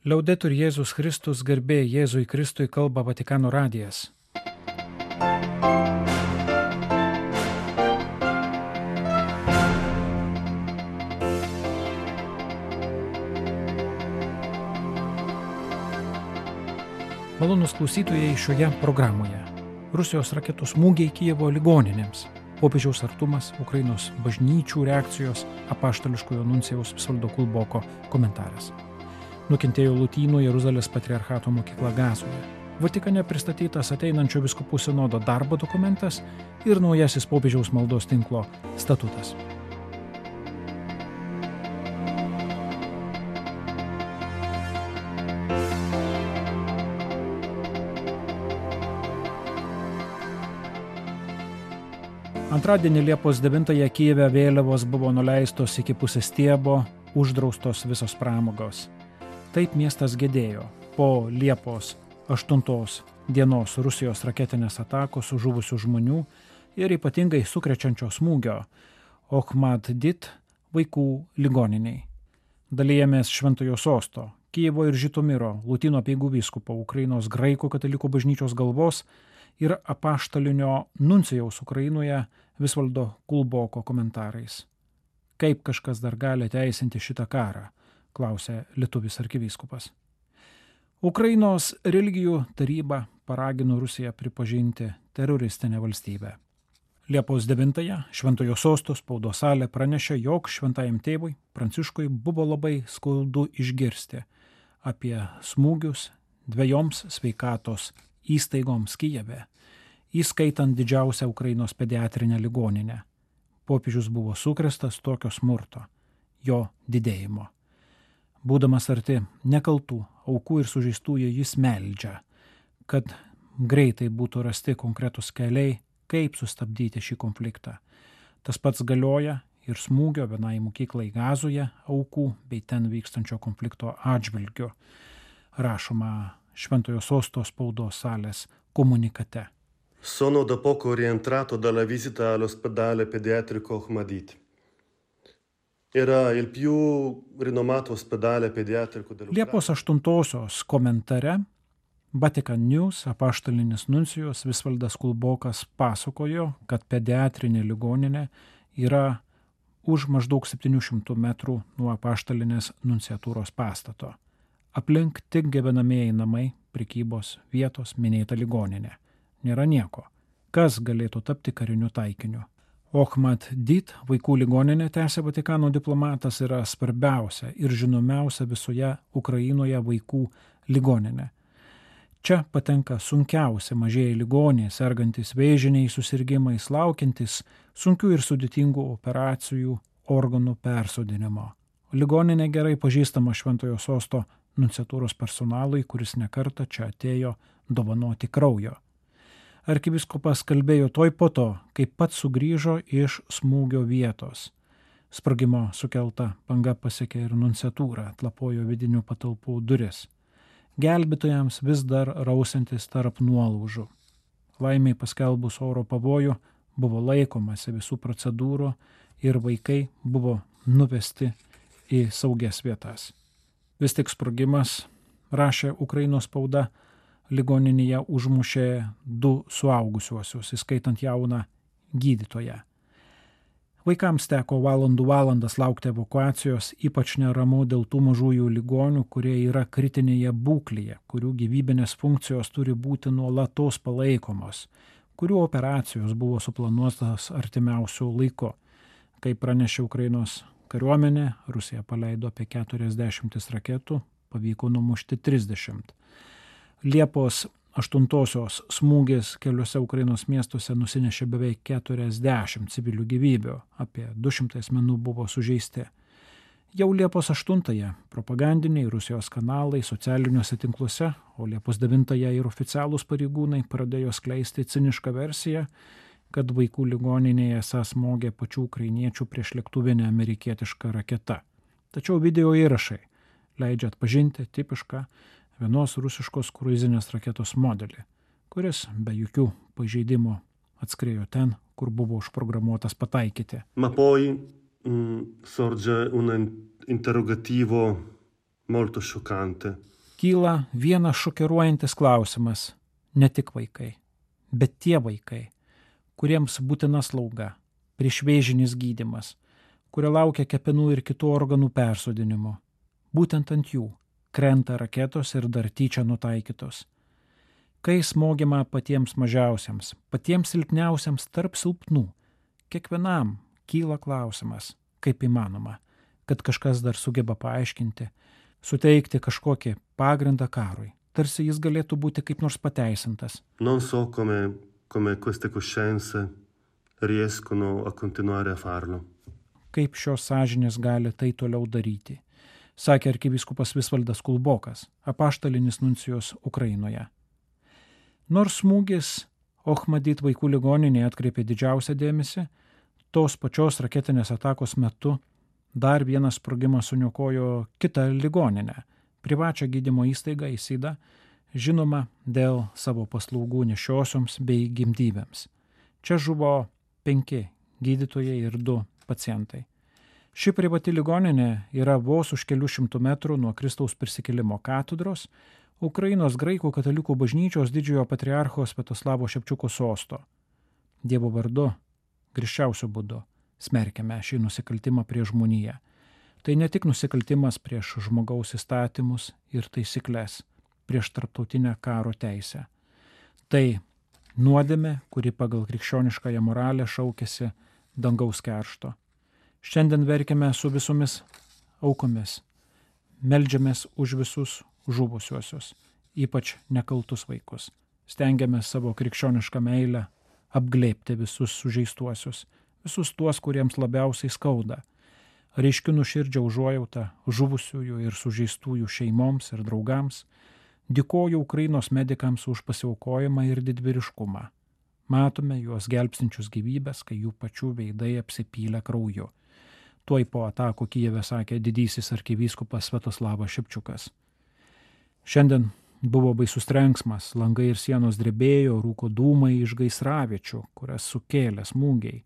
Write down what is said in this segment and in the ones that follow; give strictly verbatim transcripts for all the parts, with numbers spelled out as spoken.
Liaudetur Jėzus Kristus, garbė Jėzui Kristui, kalba Vatikano radijas. Malonūs klausytojai šioje programoje. Rusijos raketų smūgiai Kijevo ligoninėms, popiežiaus artumas, Ukrainos bažnyčių reakcijos, apaštališkojo nuncijaus Visvaldo Kulboko komentaras. Nukentėjo Lotynų Jeruzalės patriarchato mokykla Gazoje. Vatikane pristatytas ateinančio vyskupų sinodo darbo dokumentas ir naujasis popiežiaus maldos tinklo statutas. Antradienį Liepos devintąją Kijeve vėliavos buvo nuleistos iki pusės stiebo, uždraustos visos pramogos. Taip miestas gedėjo po Liepos aštuntos dienos Rusijos raketinės atakos žuvusių žmonių ir ypatingai sukrečiančio smūgio Ochmad-Dit vaikų ligoniniai. Dalijamės Šventojo Sosto, Kijevo ir Žitomiro, Lotynų apeigų vyskupo, Ukrainos graikų katalikų bažnyčios galvos ir apaštalinio nuncijaus Ukrainoje Visvaldo Kulboko komentarais. Kaip kažkas dar gali teisinti šitą karą, klausė lietuvis arkivyskupas. Ukrainos religijų taryba paragino Rusiją pripažinti teroristinę valstybę. Liepos devintąją Šventojo Sosto spaudos salė pranešė, jog šventajam tėvui Pranciškui buvo labai skaudu išgirsti apie smūgius dviejoms sveikatos įstaigoms Kijeve, įskaitant didžiausią Ukrainos pediatrinę ligoninę. Popiežius buvo sukrėstas tokio smurto, jo didėjimo. Būdamas arti nekaltų aukų ir sužeistųjų, jis meldžia, kad greitai būtų rasti konkretus keliai, kaip sustabdyti šį konfliktą. Tas pats galioja ir smūgio vienai mokyklai Gazoje aukų bei ten vykstančio konflikto atžvilgiu, rašoma Šventojo Sosto spaudos salės komunikate. Sono da poco rientrato dalla visita all'ospedale pediatrico Ochmad-Dit. Era il più rinomato ospedale pediatrico dell'Ucraina. Liepos aštuntosios komentare Vatican News apaštalinis nuncijus Visvaldas Kulbokas pasakojo, kad pediatrinė ligoninė yra už maždaug septynių šimtų metrų nuo apaštalinės nunciatūros pastato. Aplink tik gyvenamieji namai, prekybos vietos, minėta ligoninė. Nėra nieko. Kas galėtų tapti kariniu taikiniu? Ochmad-Dit vaikų ligoninė, tęsė Vatikano diplomatas, yra svarbiausia ir žinomiausia visoje Ukrainoje vaikų ligoninė. Čia patenka sunkiausia mažieji ligoniai, sergantis vėžiniais susirgimais, laukiantis sunkių ir sudėtingų operacijų, organų persodinimo. Ligoninė gerai pažįstama Šventojo Sosto nunciatūros personalui, kuris nekartą čia atėjo dovanoti kraujo. Arkivyskupas kalbėjo toj po to, kai pats sugrįžo iš smūgio vietos. Sprogimo sukelta banga pasiekė ir nunciatūrą, atlapojo vidinių patalpų duris. Gelbėtojams vis dar rausiantis tarp nuolaužų. Laimiai paskelbus oro pavojų buvo laikomasi visų procedūrų ir vaikai buvo nuvesti į saugias vietas. Vis tik sprogimas, rašė Ukrainos spauda, ligoninėje užmušė du suaugusiuosius, įskaitant jauną gydytoją. Vaikams teko valandų valandas laukti evakuacijos, ypač neramu dėl tų mažųjų ligonių, kurie yra kritinėje būklėje, kurių gyvybinės funkcijos turi būti nuolatos palaikomos, kurių operacijos buvo suplanuotas artimiausių laiku. Kaip pranešė Ukrainos kariuomenė, Rusija paleido apie keturiasdešimt raketų, pavyko numušti trisdešimt. Liepos aštuntosios smūgis keliuose Ukrainos miestuose nusinešė beveik keturiasdešimt civilių gyvybių, apie du šimtai asmenų buvo sužeisti. Jau Liepos aštuntąją propagandiniai Rusijos kanalai socialiniuose tinkluose, o Liepos devintąją ir oficialūs pareigūnai pradėjo skleisti cinišką versiją, kad vaikų ligoninėje esą smogė pačių ukrainiečių priešlėktuvinę amerikietišką raketą. Tačiau video įrašai leidžia atpažinti tipišką vienos rusiškos kruizinės raketos modelį, kuris be jokių pažeidimų atskriejo ten, kur buvo užprogramuotas pataikyti. Ma poi mh, sorge un interrogativo molto scioccante. kyla vienas šokiruojantis klausimas. Ne tik vaikai, bet tie vaikai, kuriems būtina slauga, priešvėžinis gydymas, kurie laukia kepenų ir kitų organų persodinimo. Būtent ant jų krenta raketos ir dar tyčia nutaikytos. Kai smogima patiems mažiausiams, patiems silpniausiams tarp silpnų, kiekvienam kyla klausimas, kaip įmanoma, kad kažkas dar sugeba paaiškinti, suteikti kažkokį pagrindą karui, tarsi jis galėtų būti kaip nors pateisintas. Non so come, come queste coscienze riescono a continuare a farlo. Kaip šios sąžinės gali tai toliau daryti, sakė arkivyskupas Visvaldas Kulbokas, apaštalinis nuncijus Ukrainoje. Nors smūgis Ochmadit vaikų ligoninėje atkreipė didžiausią dėmesį, tos pačios raketinės atakos metu dar vienas sprogimas suniokojo kitą ligoninę, privačią gydymo įstaigą Isidą, žinoma dėl savo paslaugų nešiosioms bei gimdyvėms. Čia žuvo penki gydytojai ir du pacientai. Ši privati ligoninė yra vos už kelių šimtų metrų nuo Kristaus prisikėlimo katedros, Ukrainos graikų katalikų bažnyčios didžiojo patriarcho Sviatoslavo Ševčiuko sosto. Dievo vardu, griežčiausiu būdu, smerkiame šį nusikaltimą prieš žmoniją. Tai ne tik nusikaltimas prieš žmogaus įstatymus ir taisyklės, prieš tarptautinę karo teisę. Tai nuodėmė, kuri pagal krikščioniškąją moralę šaukėsi dangaus keršto. Šiandien verkiame su visomis aukomis, meldžiamės už visus žuvusiuosius, ypač nekaltus vaikus. Stengiamės savo krikščionišką meilę apglėbti visus sužeistuosius, visus tuos, kuriems labiausiai skauda. Reiškiu nuoširdžią užuojautą žuvusiųjų ir sužeistųjų šeimoms ir draugams. Dėkoju Ukrainos medikams už pasiaukojimą ir didvyriškumą. Matome juos gelbstinčius gyvybės, kai jų pačių veidai apsipylė krauju. Tuoj po atakų Kijeve sakė didysis arkivyskupas Sviatoslavas Ševčiukas. Šiandien buvo baisus trenksmas, langai ir sienos drebėjo, rūko dūmai iš gaisraviečių, kurias sukėlė smūgiai.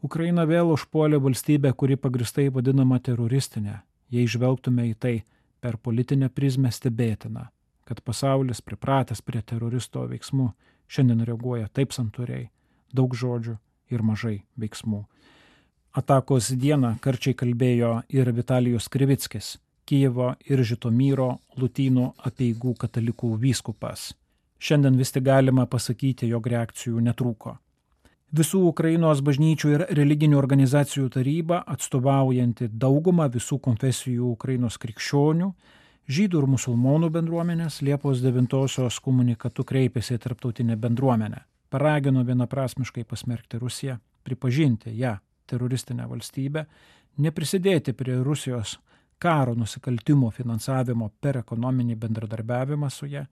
Ukraina vėl užpuolė valstybę, kuri pagristai vadinama teroristinė. Jei žvelgtume į tai per politinę prizmę, stebėtina, kad pasaulis, pripratęs prie teroristo veiksmų, šiandien reaguoja taip santūriai, daug žodžių ir mažai veiksmų. Atakos dieną karčiai kalbėjo ir Vitalijus Krivickis, Kijevo ir Žitomyro Lutynų apeigų katalikų vyskupas. Šiandien vis tik galima pasakyti, jog reakcijų netrūko. Visų Ukrainos bažnyčių ir religinių organizacijų taryba, atstovaujanti daugumą visų konfesijų Ukrainos krikščionių, žydų ir musulmonų bendruomenės, Liepos devintosios komunikatu kreipėsi į tarptautinę bendruomenę. Paragino vienaprasmiškai pasmerkti Rusiją, pripažinti ją teroristinę valstybę, neprisidėti prie Rusijos karo nusikaltimo finansavimo per ekonominį bendradarbiavimą su ja,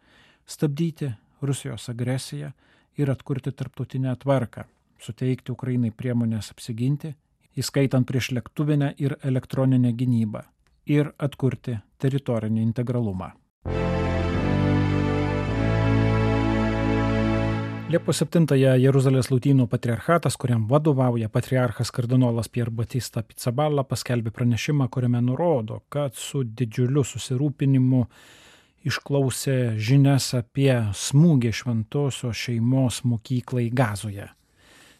stabdyti Rusijos agresiją ir atkurti tarptautinę tvarką, suteikti Ukrainai priemonės apsiginti, įskaitant priešlėktuvinę ir elektroninę gynybą, ir atkurti teritorinį integralumą. Liepos septintąją Jeruzalės Lotynų patriarchatas, kuriam vadovauja patriarchas kardinolas Pier Batista Pizzaballa, paskelbė pranešimą, kuriame nurodo, kad su didžiuliu susirūpinimu išklausė žinias apie smūgį šventosios šeimos mokyklai Gazoje.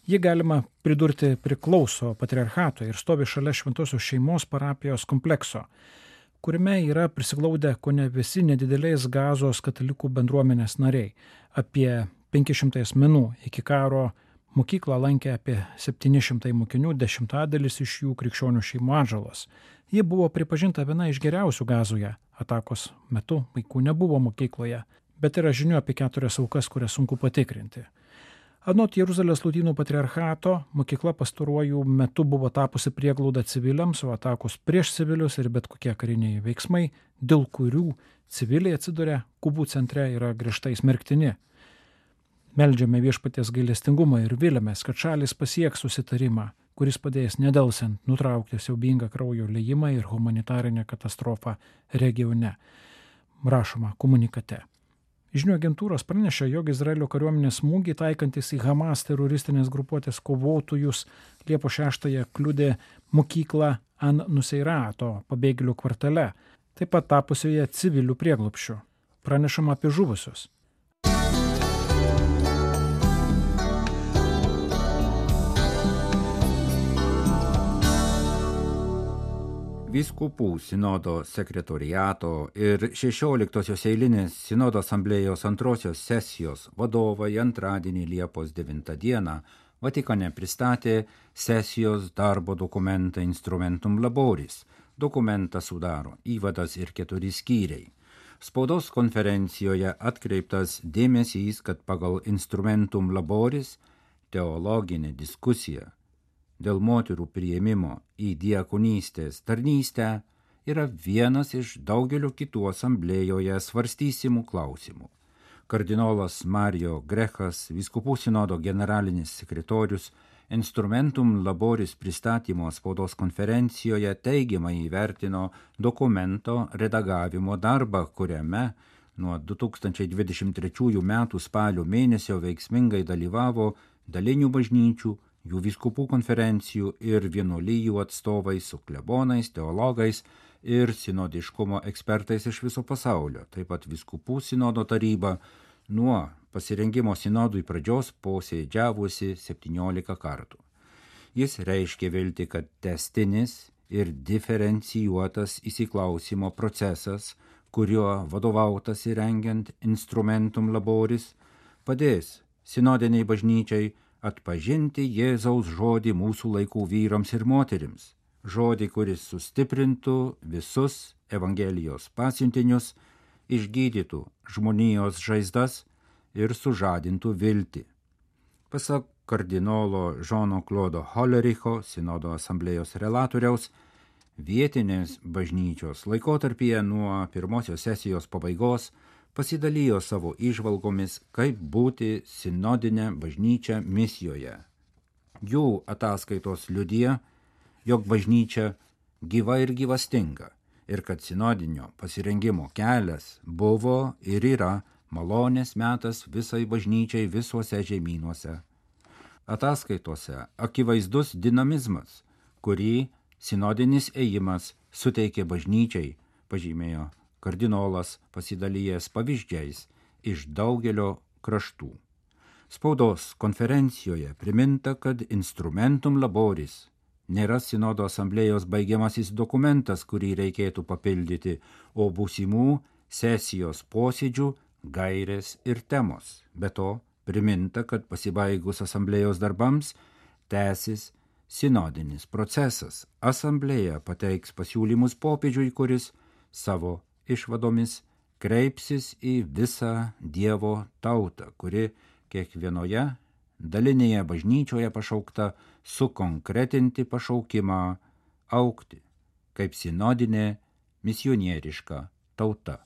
Ji, galima pridurti, priklauso patriarchatui ir stovi šalia šventosios šeimos parapijos komplekso, kuriame yra prisiglaudę kone visi nedidelės Gazos katalikų bendruomenės nariai. Apie penki šimtai asmenų iki karo mokyklą lankė apie septyni šimtai mokinių, dešimtadalis iš jų krikščionių šeimų atžalos. Ji buvo pripažinta viena iš geriausių Gazoje. Atakos metu vaikų nebuvo mokykloje, bet yra žinių apie keturias aukas, kurias sunku patikrinti. Anot Jeruzalės Lotynų patriarchato, mokykla pastaruoju metu buvo tapusi prieglauda civiliams, o atakos prieš civilius ir bet kokie kariniai veiksmai, dėl kurių civiliai atsiduria Kubų centre, yra griežtai smerktini. Meldžiame viešpaties gailestingumą ir viliamės, kad šalis pasieks susitarimą, kuris padės nedelsiant nutraukti siaubingą kraujo liejimą ir humanitarinę katastrofą regione, rašoma komunikate. Žinių agentūros pranešė, jog Izraelio kariuomenės smūgiai taikantis į Hamas teroristinės grupuotės kovotojus Liepos šeštąją kliudė mokyklą An Nuseirato pabėgėlių kvartale, taip pat tapusioje civilių prieglobsčiu. pranešama apie žuvusius. Vyskupų sinodo sekretoriato ir šešioliktosios eilinės sinodo asamblėjos antrosios sesijos vadovai antradienį Liepos devintą dieną Vatikane pristatė sesijos darbo dokumentą Instrumentum Laboris. Dokumentą sudaro įvadas ir keturi skyriai. Spaudos konferencijoje atkreiptas dėmesys, kad pagal Instrumentum Laboris teologinė diskusija dėl moterų priėmimo į diakonystės tarnystę yra vienas iš daugelio kitų asamblėjoje svarstysimų klausimų. Kardinolas Mario Grechas, vyskupų sinodo generalinis sekretorius, Instrumentum Laboris pristatymo spaudos konferencijoje teigiamai įvertino dokumento redagavimo darbą, kuriame nuo du tūkstančiai dvidešimt trečiųjų metų spalio mėnesio veiksmingai dalyvavo dalinių bažnyčių, jų vyskupų konferencijų ir vienuolijų atstovai su klebonais, teologais ir sinodiškumo ekspertais iš viso pasaulio. Taip pat vyskupų sinodo taryba nuo pasirengimo sinodui pradžios posėdžiavusi septyniolika kartų. Jis reiškė viltį, kad tęstinis ir diferencijuotas įsiklausimo procesas, kuriuo vadovautas įrengiant Instrumentum Laboris, padės sinodiniai bažnyčiai atpažinti Jėzaus žodį mūsų laikų vyrams ir moterims, žodį, kuris sustiprintų visus Evangelijos pasiuntinius, išgydytų žmonijos žaizdas ir sužadintų viltį. Pasak kardinolo Žono Klodo Holericho, sinodo asamblėjos relatoriaus, vietinės bažnyčios laikotarpyje nuo pirmosios sesijos pabaigos pasidalijo savo įžvalgomis, kaip būti sinodinę bažnyčią misijoje. Jų ataskaitos liudija, jog bažnyčia gyva ir gyvastinga ir kad sinodinio pasirengimo kelias buvo ir yra malonės metas visai bažnyčiai visuose žemynuose. Ataskaitose akivaizdus dinamizmas, kurį sinodinis ėjimas suteikė bažnyčiai, pažymėjo kardinolas pasidalijęs pavyzdžiais iš daugelio kraštų. Spaudos konferencijoje priminta, kad Instrumentum Laboris nėra sinodo asamblėjos baigiamasis dokumentas, kurį reikėtų papildyti, o būsimų sesijos posėdžių gairės ir temos. Be to, priminta, kad pasibaigus asamblėjos darbams tęsis sinodinis procesas. Asamblėja pateiks pasiūlymus popiežiui, kuris savo išvadomis kreipsis į visą Dievo tautą, kuri kiekvienoje dalinėje bažnyčioje pašaukta sukonkretinti pašaukimą augti kaip sinodinė misionieriška tauta.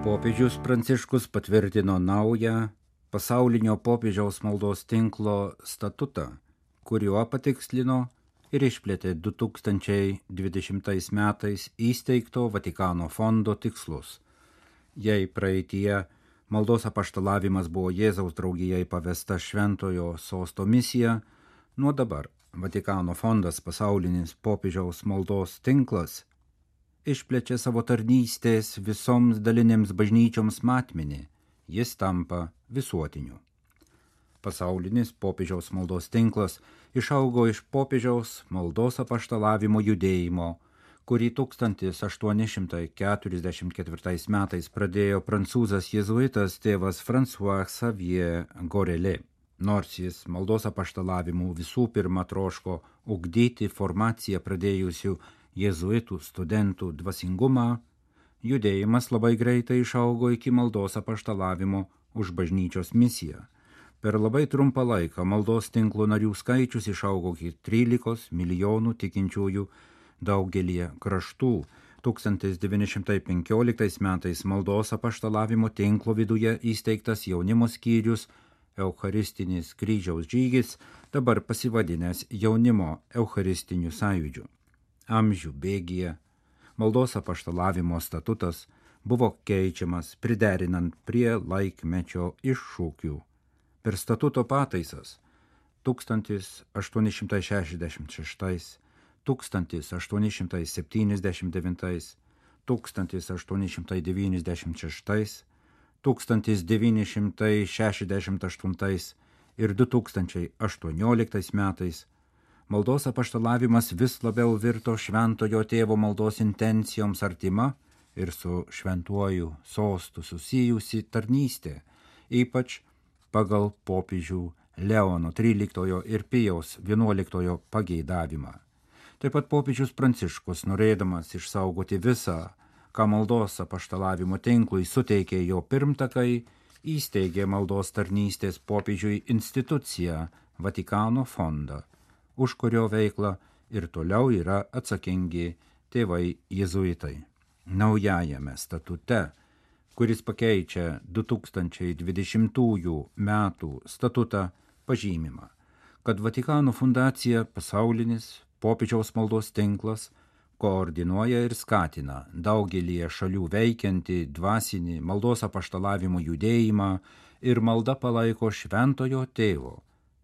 Popiežius Pranciškus patvirtino naują pasaulinio popiežiaus maldos tinklo statutą, kuriuo patikslino ir išplėtė du tūkstančiai dvidešimtais metais įsteigto Vatikano fondo tikslus. Jei praeityje maldos apaštalavimas buvo Jėzaus draugijai pavesta šventojo sosto misija, nuo dabar Vatikano fondas pasaulinis popiežiaus maldos tinklas išplečia savo tarnystės visoms dalinėms bažnyčioms matmenį, jis tampa visuotiniu. Pasaulinis popiežiaus maldos tinklas išaugo iš popiežiaus maldos apaštalavimo judėjimo, kurį tūkstantis aštuoni šimtai keturiasdešimt ketvirtais metais pradėjo prancūzas jėzuitas tėvas François Xavier Gorelė. Nors jis maldos apaštalavimu visų pirma troško ugdyti formaciją pradėjusių jėzuitų studentų dvasingumą, judėjimas labai greitai išaugo iki maldos apaštalavimo už bažnyčios misiją. Per labai trumpą laiką maldos tinklo narių skaičius išaugo iki trylikos milijonų tikinčiųjų daugelie kraštų. tūkstantis devyni šimtai penkioliktais metais maldos apaštalavimo tinklo viduje įsteigtas jaunimo skyrius Eucharistinis kryžiaus žygis, dabar pasivadinęs jaunimo Eucharistiniu sąjūdžiu. Amžių bėgyje maldos apaštalavimo statutas buvo keičiamas priderinant prie laikmečio iššūkių. Per statuto pataisas tūkstantis aštuoni šimtai šešiasdešimt šeštais, tūkstantis aštuoni šimtai septyniasdešimt devintais, tūkstantis aštuoni šimtai devyniasdešimt šeštais, tūkstantis devyni šimtai šešiasdešimt aštuntais ir du tūkstančiai aštuonioliktais metais maldos apaštalavimas vis labiau virto šventojo tėvo maldos intencijoms artima ir su šventuoju sostu susijusi tarnystė, ypač pagal popiežių Leono tryliktojo ir Pijaus vienuoliktojo pageidavimą. Taip pat popiežius Pranciškus, norėdamas išsaugoti visą, ką maldos apaštalavimo tinklui suteikė jo pirmtakai, įsteigė maldos tarnystės popiežiui instituciją Vatikano fondą, už kurio veiklą ir toliau yra atsakingi tėvai jėzuitai. Naujajame statute, kuris pakeičia du tūkstančiai dvidešimtųjų metų statutą, pažymima, kad Vatikano fundacija pasaulinis popiežiaus maldos tinklas koordinuoja ir skatina daugelį šalių veikiantį dvasinį maldos apaštalavimo judėjimą ir malda palaiko šventojo tėvo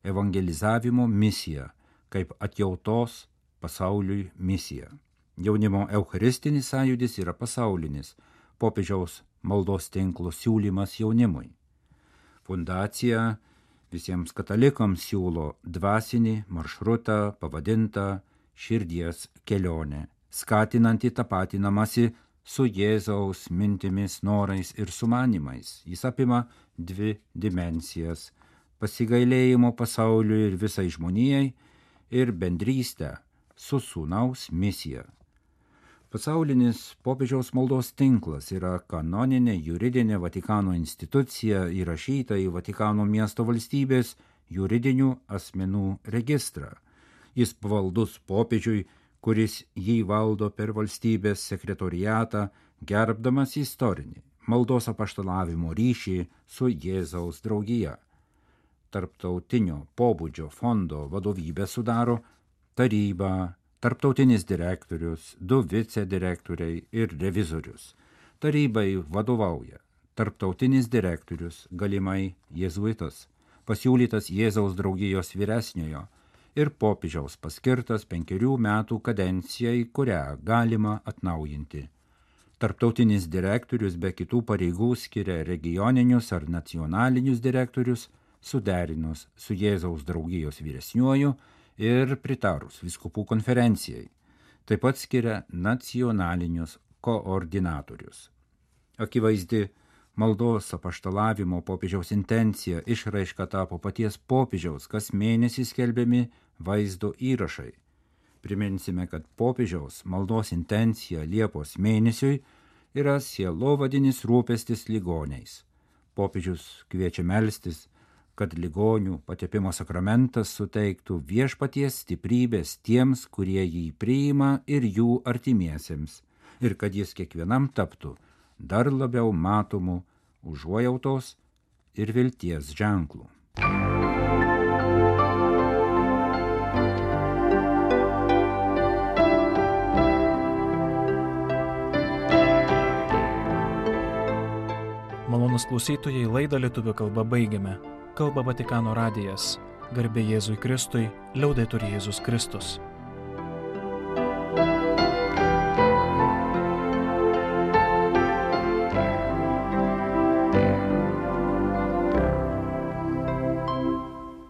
evangelizavimo misiją kaip atjautos pasauliui misiją. Jaunimo eucharistinis sąjūdis yra pasaulinis popiežiaus maldos tinklo siūlymas jaunimui. Fundacija visiems katalikams siūlo dvasinį maršrutą pavadintą širdies kelionė, skatinantį tapatinamasi su Jėzaus mintimis, norais ir sumanimais. Jis apima dvi dimensijas – pasigailėjimo pasauliui ir visai žmonijai ir bendrystę su sūnaus misija. Pasaulinis popiežiaus maldos tinklas yra kanoninė juridinė Vatikano institucija įrašyta į Vatikano miesto valstybės juridinių asmenų registrą. Jis pavaldus popiežiui, kuris jį valdo per valstybės sekretoriatą, gerbdamas istorinį maldos apaštalavimo ryšį su Jėzaus draugija. Tarptautinio pobūdžio fondo vadovybę sudaro taryba, tarptautinis direktorius, du vicedirektoriai ir revizorius. Tarybai vadovauja tarptautinis direktorius, galimai jėzuitas, pasiūlytas Jėzaus draugijos vyresniojo ir popiežiaus paskirtas penkerių metų kadencijai, kurią galima atnaujinti. Tarptautinis direktorius be kitų pareigų skiria regioninius ar nacionalinius direktorius, suderinus su Jėzaus draugijos vyresniuoju ir pritarus vyskupų konferencijai. Taip pat skiria nacionalinius koordinatorius. Akivaizdi maldos apaštalavimo popiežiaus intencija išraiška tapo paties popiežiaus kas mėnesį skelbiami vaizdo įrašai. Priminsime, kad popiežiaus maldos intencija Liepos mėnesiui yra sielovadinis rūpestis ligoniais. Popiežius kviečia melstis, kad ligonių patepimo sakramentas suteiktų viešpaties stiprybės tiems, kurie jį priima ir jų artimiesiems, ir kad jis kiekvienam taptų dar labiau matomų užuojautos ir vilties ženklų. Malonūs klausytojai, laidą lietuvių kalba baigiame. Kalba Vatikano radijas. Garbė Jėzui Kristui, liaudetur Jėzus Kristus.